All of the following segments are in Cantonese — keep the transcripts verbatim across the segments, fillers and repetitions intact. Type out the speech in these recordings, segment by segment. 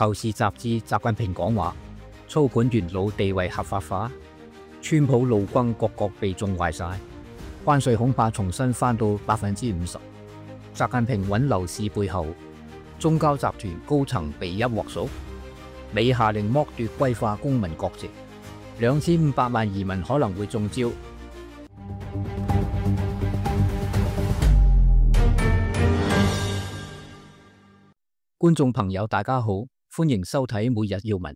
求是雜誌習近平講話，操盤元老地位合法化，川普陸軍各國被縱壞晒，關稅恐怕重新翻到百分之五十。習近平穩樓市背後，中交集團高層被一鑊熟，美下令剝奪歸化公民國籍，兩千五百萬移民可能會中招。觀眾朋友大家好，歡迎收睇每日要聞。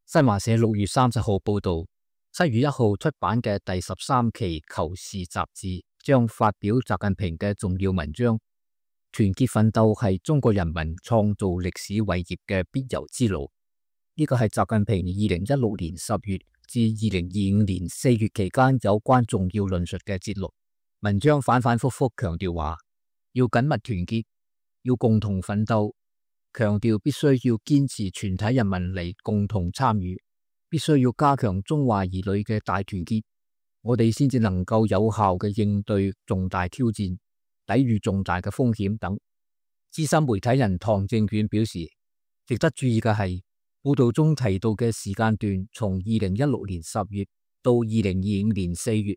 新華社六月三十號報道，七月一號出版嘅第十三期《求是》雜誌將發表習近平嘅重要文章。團結奮鬥係中國人民創造歷史偉業嘅必由之路。呢個係習近平二零一六年十月至二零二五年四月期間有關重要論述嘅節錄。文章反反复复強調話，要緊密團結，要共同奮鬥。強調必須要堅持全體人民嚟共同參與，必須要加強中華兒女嘅大團結，我哋先至能夠有效嘅應對重大挑戰，抵禦重大嘅風險等。資深媒體人唐正遠表示，值得注意嘅係，報道中提到嘅時間段從二零一六年十月到二零二五年四月，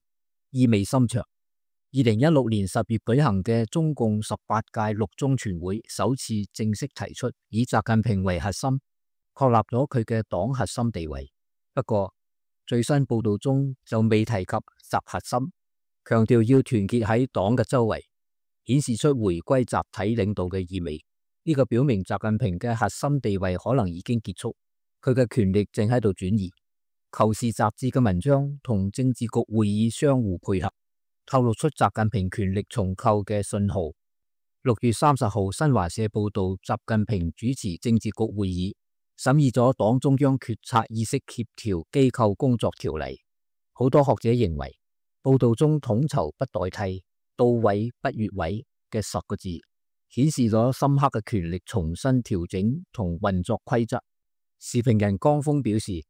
意味深長。二零一六年十月舉行嘅中共十八屆六中全會首次正式提出以習近平為核心，確立咗佢嘅黨核心地位。不過最新報道中就未提及習核心，強調要團結喺黨嘅周圍，顯示出回歸集體領導嘅意味。呢個表明習近平嘅核心地位可能已經結束，佢嘅權力正喺度轉移。求是雜誌嘅文章同政治局會議相互配合，透露出習近平權力重構嘅信號。六月三十號，新華社報道，習近平主持政治局會議，審議咗黨中央決策意識協調機構工作條例。好多學者認為，報道中統籌不代替、到位不越位嘅十個字，顯示咗深刻嘅權力重新調整同運作規則。時評人江峰表示，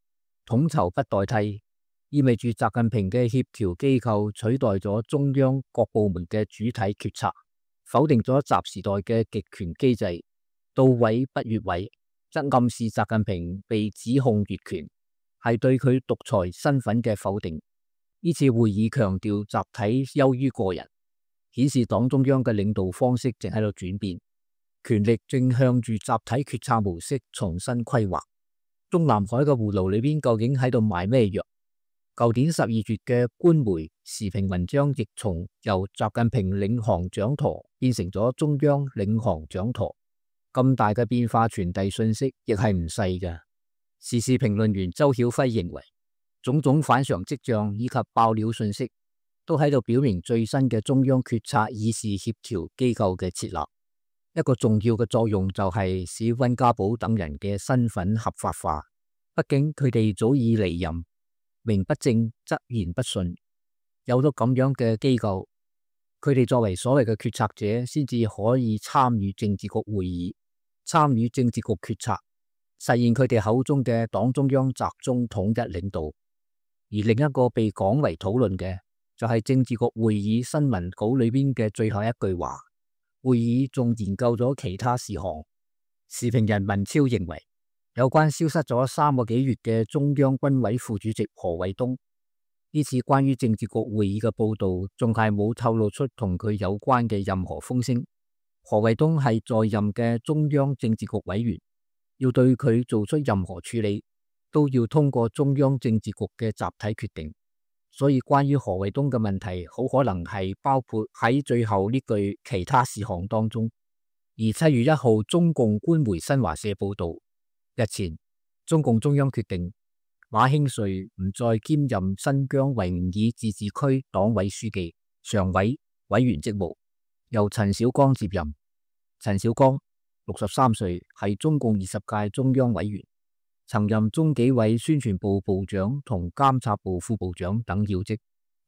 統籌不代替意味住習近平嘅協調機構取代咗中央各部門嘅主體決策，否定咗習時代嘅極權機制。到位不越位，則暗示習近平被指控越權，係對佢獨裁身份嘅否定。呢次會議強調集體優於個人，顯示黨中央嘅領導方式正喺度轉變，權力正向住集體決策模式重新規劃。中南海嘅葫蘆裏邊究竟喺度賣咩藥？舊年十二月嘅官媒時評文章亦從由習近平領航掌舵變成咗中央領航掌舵，咁大嘅變化傳遞信息亦係唔細嘅。時事評論員周曉輝認為，種種反常跡象以及爆料信息都喺度表明最新嘅中央決策議事協調機構嘅設立，一個重要嘅作用就係使溫家寶等人嘅身份合法化。畢竟佢哋早已離任，名不正則言不順，有咗咁樣嘅機構，佢哋作為所謂嘅決策者，先至可以參與政治局會議，參與政治局決策，實現佢哋口中嘅黨中央集中統一領導。而另一個被廣為討論嘅，就係政治局會議新聞稿裏邊嘅最後一句話，會議仲研究咗其他事項。時評人文超認為，有關消失咗三個幾月嘅中央軍委副主席何衛東，呢次關於政治局會議嘅報道仲係冇透露出同佢有關嘅任何風聲。何衛東係在任嘅中央政治局委員，要對佢做出任何處理，都要通過中央政治局嘅集體決定。所以關於何衛東嘅問題，好可能係包括喺最後呢句其他事項當中。而七月一號，中共官媒新華社報道，日前，中共中央決定馬興瑞唔再兼任新疆維吾爾自治區黨委書記、常委、委員職務，由陳小剛接任。陳小剛六十三歲，係中共二十屆中央委員，曾任中紀委宣傳部部長同監察部副部長等要職。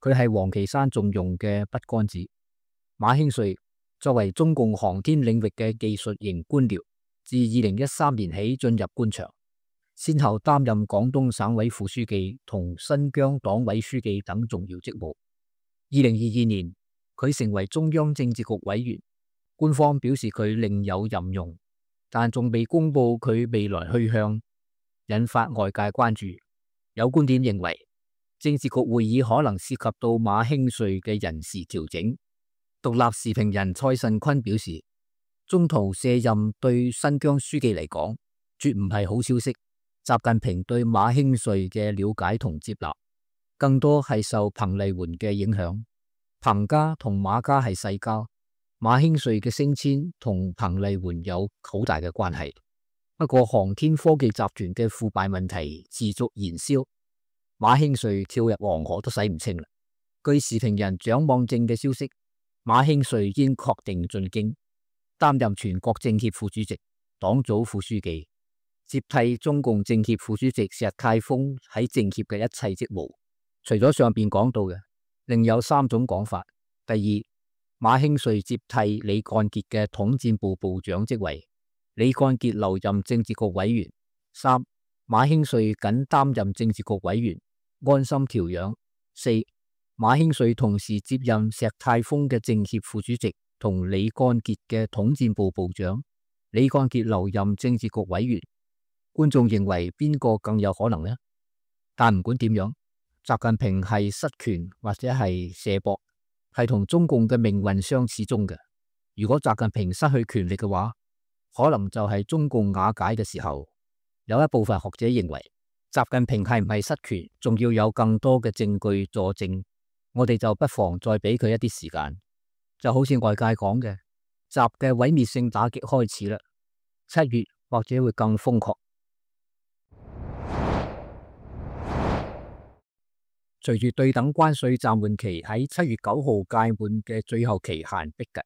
佢係王岐山重用嘅筆桿子。馬興瑞作為中共航天領域嘅技術型官僚，自二零一三年起進入官場，先後擔任廣東省委副書記同新疆黨委書記等重要職務。二零二二年，佢成為中央政治局委員，官方表示佢另有任用，但仲未公布佢未來去向，引發外界關注。有觀點認為，政治局會議可能涉及到馬興瑞嘅人事調整。獨立時評人蔡慎坤表示，中途卸任對新疆書記嚟講，絕唔係好消息。習近平對馬興瑞嘅了解同接納，更多係受彭麗媛嘅影響。彭家同馬家係世交，馬興瑞嘅升遷同彭麗媛有好大嘅關係。不過航天科技集團嘅腐敗問題持續燃燒，馬興瑞跳入黃河都洗唔清啦。據時評人蔣望正嘅消息，馬興瑞已經確定進京，擔任全國政協副主席、黨組副書記，接替中共政協副主席石泰峰喺政協嘅一切職務。除咗上邊講到嘅，另有三種講法。第二，馬興瑞接替李幹傑嘅統戰部部長職位，李幹傑留任政治局委員。三，馬興瑞僅擔任政治局委員，安心調養。四，馬興瑞同時接任石泰峰嘅政協副主席同李幹傑嘅統戰部部長，李幹傑留任政治局委員。觀眾認為邊個更有可能呢？但唔管點樣，習近平係失權或者係卸膊，係同中共嘅命運相似中嘅。如果習近平失去權力嘅話，可能就係中共瓦解嘅時候。有一部分學者認為，習近平係唔係失權，仲要有更多嘅證據佐證。我哋就不妨再俾佢一啲時間。就好似外界講嘅，習嘅毀滅性打擊開始啦，七月或者會更瘋狂。隨住對等關稅暫緩期喺七月九號屆滿嘅最後期限逼近，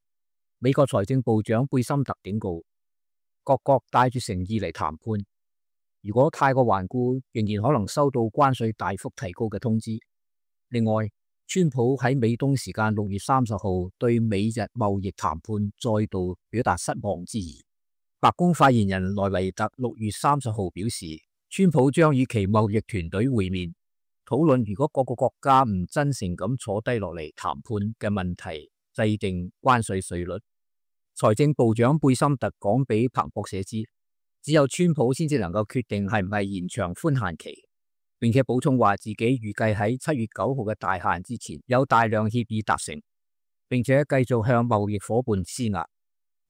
美國財政部長貝森特警告各國帶住誠意嚟談判，如果太過頑固，仍然可能收到關稅大幅提高嘅通知。另外，川普喺美東時間六月三十號對美日貿易談判再度表達失望之意。白宮發言人萊維特六月三十號表示，川普將與其貿易團隊會面，討論如果各個國家唔真誠咁坐低落嚟談判嘅問題，制定關稅稅率。財政部長貝森特講俾彭博社知，只有川普先至能夠決定係唔係延長寬限期，並且補充話自己預計喺七月九號嘅大限之前有大量協議達成，並且繼續向貿易夥伴施壓。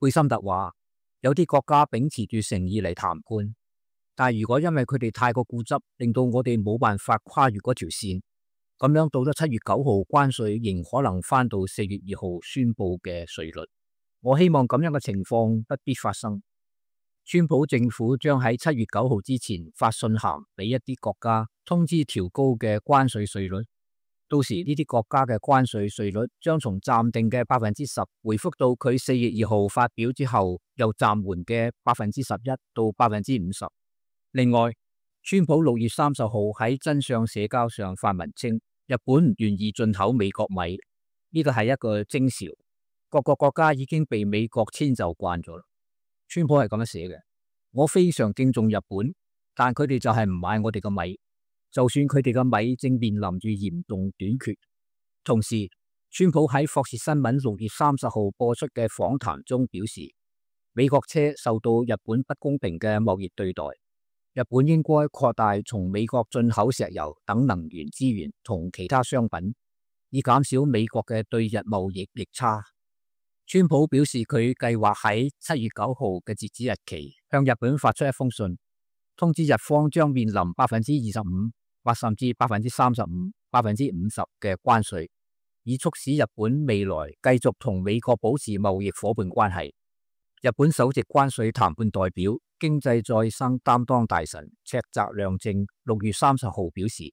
貝森特話，有啲國家秉持住誠意嚟談判，但如果因為佢哋太過固執，令到我哋冇辦法跨越嗰條線，咁樣到咗七月九號，關稅仍可能翻到四月二號宣布嘅稅率。我希望咁樣嘅情況不必發生。川普政府將喺七月九號之前發信函俾一啲國家，通知調高嘅關稅稅率。到時呢啲國家嘅關稅稅率將從暫定嘅百分之十回復到佢四月二號發表之後又暫緩嘅百分之十一到百分之五十。另外，川普六月三十號喺真相社交上發文稱，日本唔願意進口美國米，呢個係一個徵兆。各個國家已經被美國遷就慣咗啦。川普係咁樣寫嘅：我非常敬重日本，但佢哋就係唔買我哋嘅米，就算佢哋嘅米正面臨住嚴重短缺。同時，川普喺霍士新聞六月三十號播出嘅訪談中表示，美國車受到日本不公平嘅貿易對待。日本應該擴大從美國進口石油等能源資源同其他商品，以減少美國嘅對日貿易逆差。川普表示佢計劃喺七月九號嘅截止日期向日本發出一封信，通知日方將面臨百分之二十五或甚至百分之三十五、百分之五十嘅關稅，以促使日本未來繼續同美國保持貿易夥伴關係。日本首席關稅談判代表、經濟再生擔當大臣赤澤亮正六月三十號表示，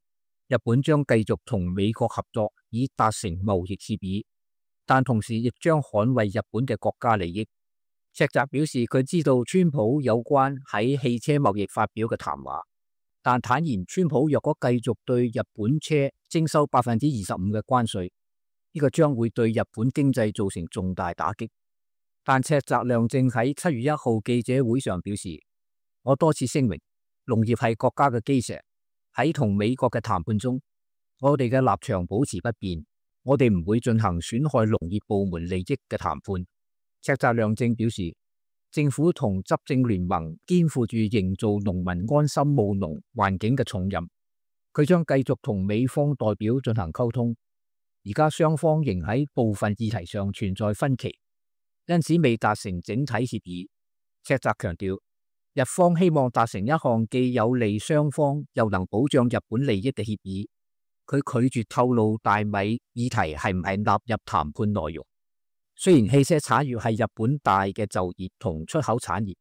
日本將繼續同美國合作以達成貿易協議，但同時亦將捍衛日本嘅國家利益。赤澤表示佢知道川普有關喺汽車貿易發表嘅談話，但坦言川普若果繼續對日本車徵收百分之二十五嘅關稅，呢個將會對日本經濟造成重大打擊。但赤澤亮正喺七月一號記者會上表示，我多次聲明，農業係國家嘅基石，喺同美國嘅談判中，我哋嘅立場保持不變，我哋唔會進行損害農業部門利益嘅談判。赤澤亮正表示，政府同執政聯盟肩負住營造農民安心務農環境嘅重任，佢將繼續同美方代表進行溝通。而家雙方仍喺部分議題上存在分歧，因此未達成整體協議。赤澤強調，日方希望達成一項既有利雙方又能保障日本利益嘅協議。佢拒絕透露大米議題係唔係納入談判內容。雖然汽車產業係日本大嘅就業同出口產業，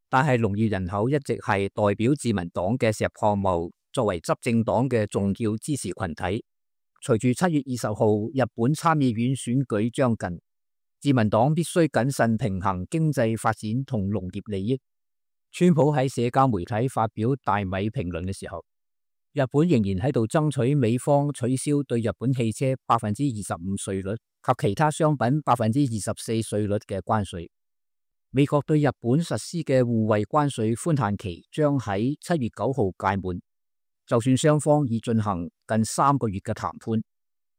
但係農業人口一直係代表自民黨嘅石破茂作為執政黨嘅重要支持群體。隨住七月二十號日本參議院選舉將近，自民黨必須謹慎平衡經濟發展同農業利益。川普喺社交媒體發表大米評論嘅時候，日本仍然喺度爭取美方取消對日本汽車百分之二十五稅率及其他商品百分之二十四稅率嘅關稅。美國對日本實施嘅互惠關稅寬限期將喺七月九號屆滿。就算雙方已進行近三個月嘅談判，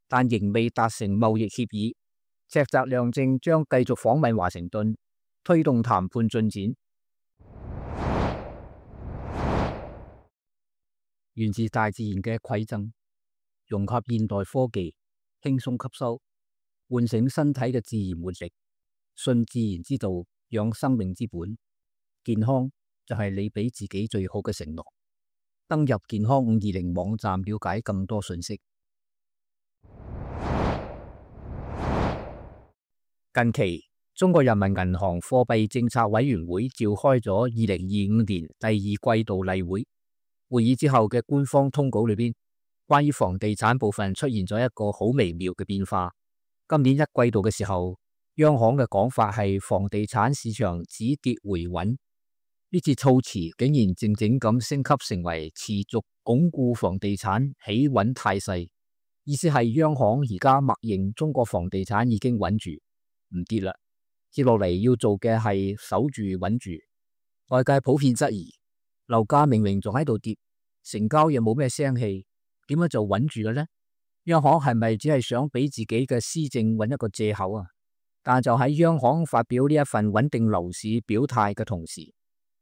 但仍未達成貿易協議。赤澤亮正將繼續訪問華盛頓，推動談判進展。源自大自然嘅饋贈，融合現代科技，輕鬆吸收，喚醒身體嘅自然活力。信自然之道，養生命之本。健康就係你俾自己最好嘅承諾。登入健康五二零網站了解更多信息。近期，中國人民銀行貨幣政策委員會召開咗二零二五年第二季度例會。會議之後嘅官方通稿裏邊，關於房地產部分出現咗一個好微妙嘅變化。今年一季度嘅時候，央行嘅講法係房地產市場止跌回穩。呢次措辭竟然靜靜咁升級成為持續鞏固房地產企穩態勢，意思係央行而家默認中國房地產已經穩住，唔跌啦。接落嚟要做嘅係守住穩住。外界普遍質疑，樓價明明仲喺度跌，成交又冇咩聲氣，點解就穩住嘅呢？央行係咪只係想俾自己嘅施政揾一個借口啊？但就喺央行發表呢一份穩定樓市表態嘅同時，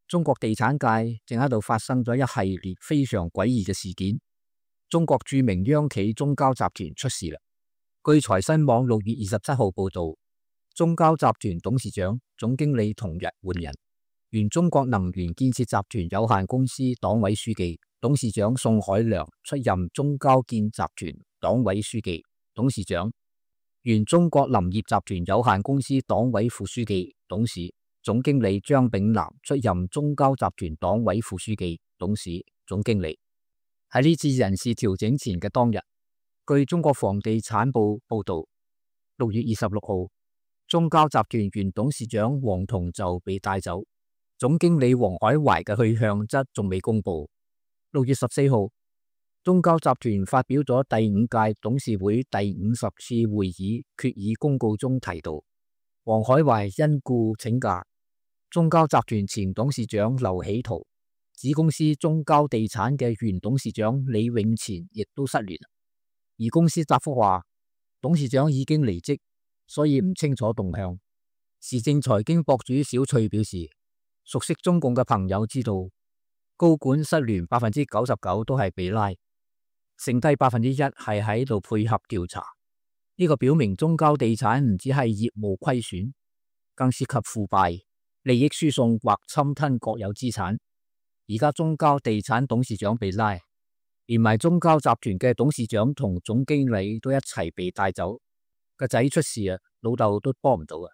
中國地產界正喺度發生咗一系列非常詭異嘅事件。中國著名央企中交集團出事啦。據財新網六月二十七號報道，中交集團董事長、總經理同日換人，原中國能源建設集團有限公司黨委書記、董事長宋海良出任中交建集團黨委書記、董事長；原中國林業集團有限公司黨委副書記、董事。總經理張炳南出任中交集團黨委副書記、董事、總經理。喺呢次人事調整前嘅當日，據中國房地產報報道，六月二十六號，中交集團原董事長王同就被帶走，總經理黃海懷嘅去向則仲未公布。六月十四號，中交集團發表咗第五屆董事會第五十次會議決議公告中提到，黃海懷因故請假。中交集團前董事長劉喜圖、子公司中交地產嘅原董事長李永前亦都失聯。而公司答覆話，董事長已經離職，所以唔清楚動向。時政財經博主小翠表示，熟悉中共嘅朋友知道，高管失聯百分之九十九都係被拉，剩低百分之一係喺度配合調查。呢個表明中交地產唔只係業務虧損，更涉及腐敗、利益輸送或侵吞國有資產。而家中交地產董事長被拉，連埋中交集團嘅董事長同總經理都一齊被帶走。個仔出事啊，老豆都幫唔到啊。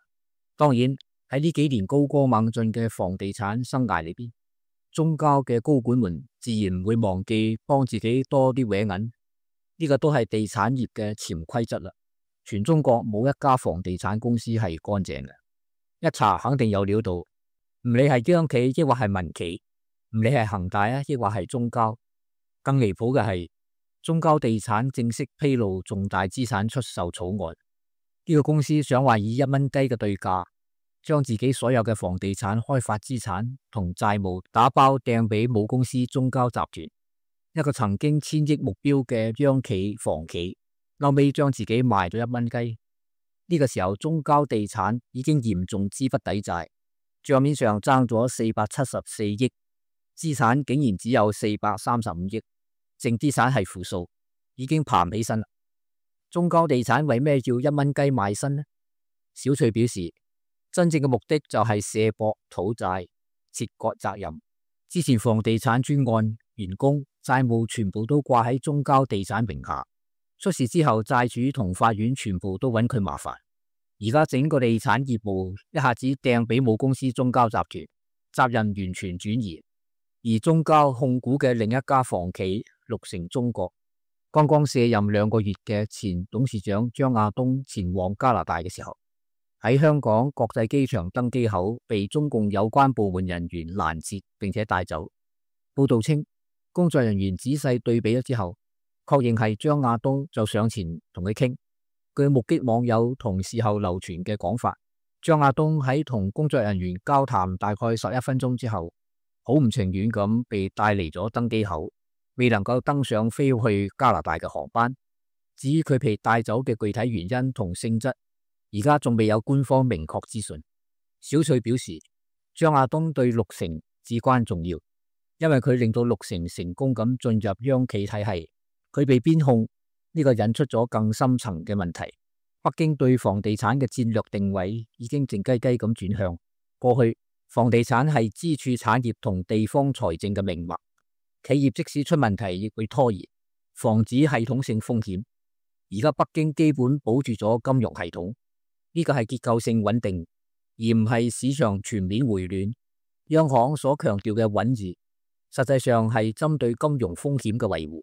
當然喺呢幾年高歌猛進嘅房地產生涯裏邊，中交嘅高管們自然唔會忘記幫自己多啲搲銀。呢個都係地產業嘅潛規則啦。全中國冇一家房地產公司係乾淨嘅。一查肯定有料到，唔理係央企抑或係民企，唔理係恒大啊抑或係中交。更離譜嘅係，中交地產正式披露重大資產出售草案。呢個公司想話以一蚊雞嘅對價，將自己所有嘅房地產開發資產同債務打包掟俾母公司中交集團，一個曾經千億目標嘅央企房企，後尾將自己賣咗一蚊雞。呢個時候，中交地產已經嚴重資不抵債，賬面上爭咗四百七十四億，資產竟然只有四百三十五億，淨資產係負數，已經爬唔起身啦。中交地產為咩要一蚊雞賣身呢？小翠表示，真正嘅目的就係卸膊討債，切割責任。之前房地產專案員工債務全部都掛喺中交地產名下，出事之後債主同法院全部都揾佢麻煩。而家整個地產業務一下子掟俾母公司中交集團，責任完全轉移。而中交控股嘅另一家房企綠城中國，剛剛卸任兩個月嘅前董事長張亞東前往加拿大嘅時候，喺香港國際機場登機口被中共有關部門人員攔截並且帶走。報道稱，工作人員仔細對比咗之後，確認係張亞東，就上前同佢傾。據目擊網友同事後流傳嘅講法，張亞東喺同工作人員交談大概十一分鐘之後，好唔情願咁被帶離咗登機口，未能夠登上飛去加拿大嘅航班。至於佢被帶走嘅具體原因同性質，而家仲未有官方明確資訊。小翠表示，張亞東對綠城至關重要，因為佢令到綠城成功咁進入央企體系。佢被邊控，呢個引出咗更深層嘅問題。北京對房地產嘅戰略定位已經靜雞雞咁轉向。過去房地產係支柱產業同地方財政嘅命脈，企業即使出問題亦會拖延，防止系統性風險。而家北京基本保住咗金融系統，呢個係結構性穩定，而唔係市場全面回暖。央行所強調嘅穩字，實際上係針對金融風險嘅維護，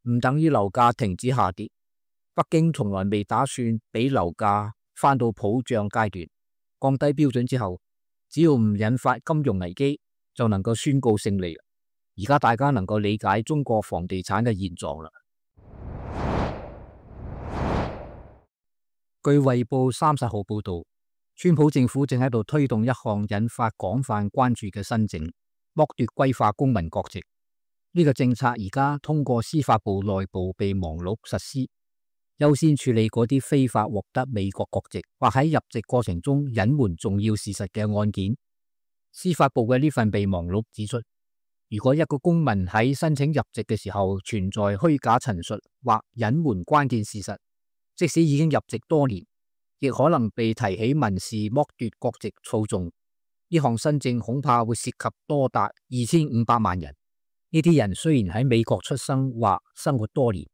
唔等於樓價停止下跌。北京從來未打算俾樓價翻到普漲階段，降低標準之後，只要唔引發金融危機，就能夠宣告勝利。而家大家能夠理解中國房地產嘅現狀啦。據衛報三十號報道，川普政府正喺度推動一項引發廣泛關注嘅新政，剝奪歸化公民國籍。呢個政策而家通過司法部內部備忘錄實施，優先處理嗰啲非法獲得美國國籍或喺入籍過程中隱瞞重要事實嘅案件。司法部嘅呢份備忘錄指出，如果一個公民喺申請入籍嘅時候存在虛假陳述或隱瞞關鍵事實，即使已經入籍多年，亦可能被提起民事剝奪國籍訴訟。呢項新政恐怕會涉及多達二千五百萬人。呢啲人雖然喺美國出生或生活多年，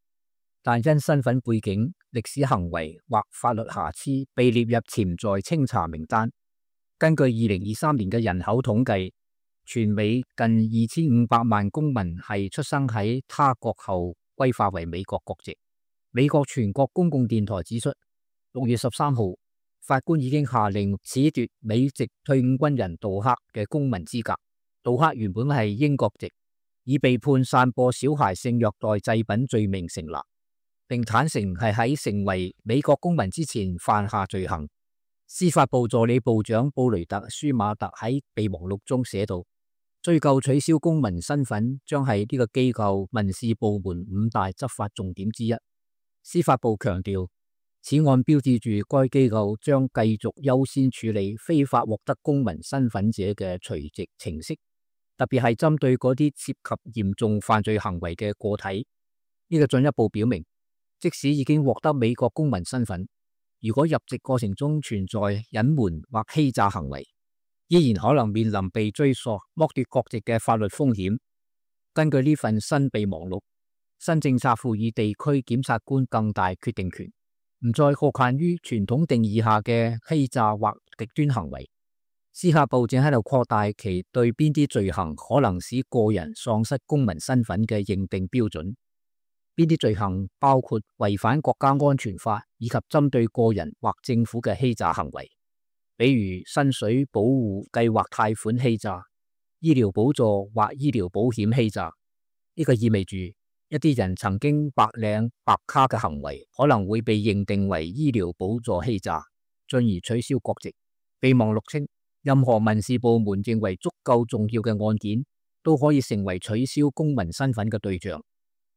但因身份背景、歷史行為或法律瑕疵被列入潛在清查名單。根據二零二三年嘅人口統計，全美近二千五百萬公民係出生喺他國後歸化為美國國籍。美國全國公共電台指出，六月十三號，法官已經下令褫奪美籍退伍軍人杜克嘅公民資格。杜克原本係英國籍，已被判散播小孩性虐待祭品罪名成立，並坦承係喺成為美國公民之前犯下罪行。司法部助理部長布雷特舒馬特喺備忘錄中寫道，追究取消公民身份將係呢個機構民事部門五大執法重點之一。司法部強調，此案標誌住該機構將繼續優先處理非法獲得公民身份者嘅除籍程式，特別係針對嗰啲涉及嚴重犯罪行為嘅個體。呢個進一步表明，即使已經獲得美國公民身份，如果入籍過程中存在隱瞞或欺詐行為，依然可能面臨被追溯、剝奪國籍嘅法律風險。根據呢份新備忘錄，新政策賦予地區檢察官更大決定權，唔再局限於傳統定義下嘅欺詐或極端行為。司法部正喺度擴大其對邊啲罪行可能使個人喪失公民身份嘅認定標準。邊啲罪行包括違反國家安全法以及針對個人或政府嘅欺詐行為，比如薪水保護計劃貸款欺詐、醫療補助或醫療保險欺詐。呢個意味住一啲人曾經白領白卡嘅行為可能會被認定為醫療補助欺詐，進而取消國籍。備忘錄稱，任何民事部門認為足夠重要嘅案件都可以成為取消公民身份嘅對象。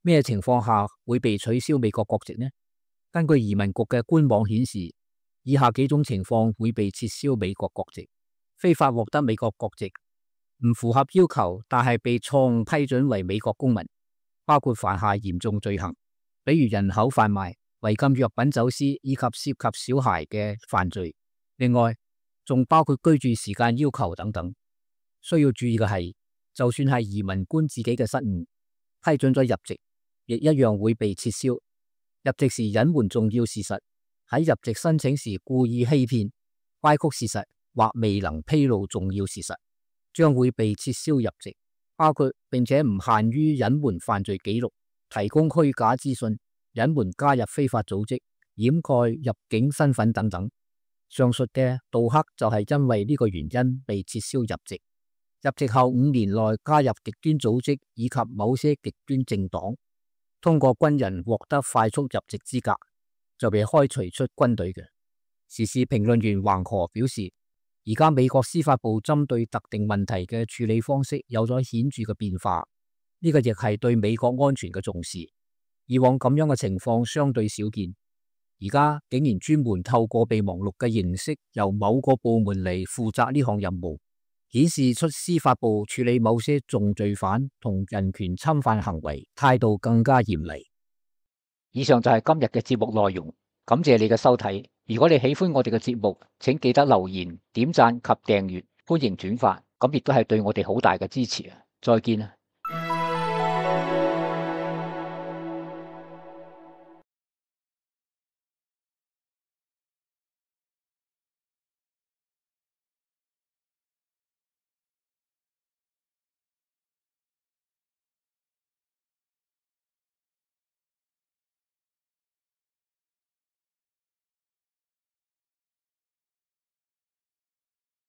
咩情況下會被取消美國國籍呢？根據移民局嘅官網顯示，以下幾種情況會被撤銷美國國籍：非法獲得美國國籍，唔符合要求，但係被錯誤批准為美國公民，包括犯下嚴重罪行，比如人口販賣、違禁藥品走私以及涉及小孩嘅犯罪。另外，仲包括居住時間要求等等。需要注意嘅係，就算係移民官自己嘅失誤，批准咗入籍，亦一樣會被撤銷。入籍時隱瞞重要事實，喺入籍申請時故意欺騙、歪曲事實或未能披露重要事實，將會被撤銷入籍。包括並且唔限於隱瞞犯罪記錄、提供虛假資訊、隱瞞加入非法組織、掩蓋入境身份等等。上述嘅杜克就係因為呢個原因被撤銷入籍。入籍後五年內加入極端組織以及某些極端政黨，通過軍人獲得快速入籍資格，就被開除出軍隊嘅。時事評論員橫河表示，而家美國司法部針對特定問題嘅處理方式有咗顯著嘅變化，呢個亦係對美國安全嘅重視。以往咁樣嘅情況相對少見，而家竟然專門透過備忘錄嘅形式，由某個部門嚟負責呢項任務，顯示出司法部處理某些重罪犯同人權侵犯行為態度更加嚴厲。以上就係今日嘅節目內容，感謝你嘅收睇。如果你喜歡我哋嘅節目，請記得留言、點讚及訂閱，歡迎轉發，咁亦都係對我哋好大嘅支持啊！再見啊！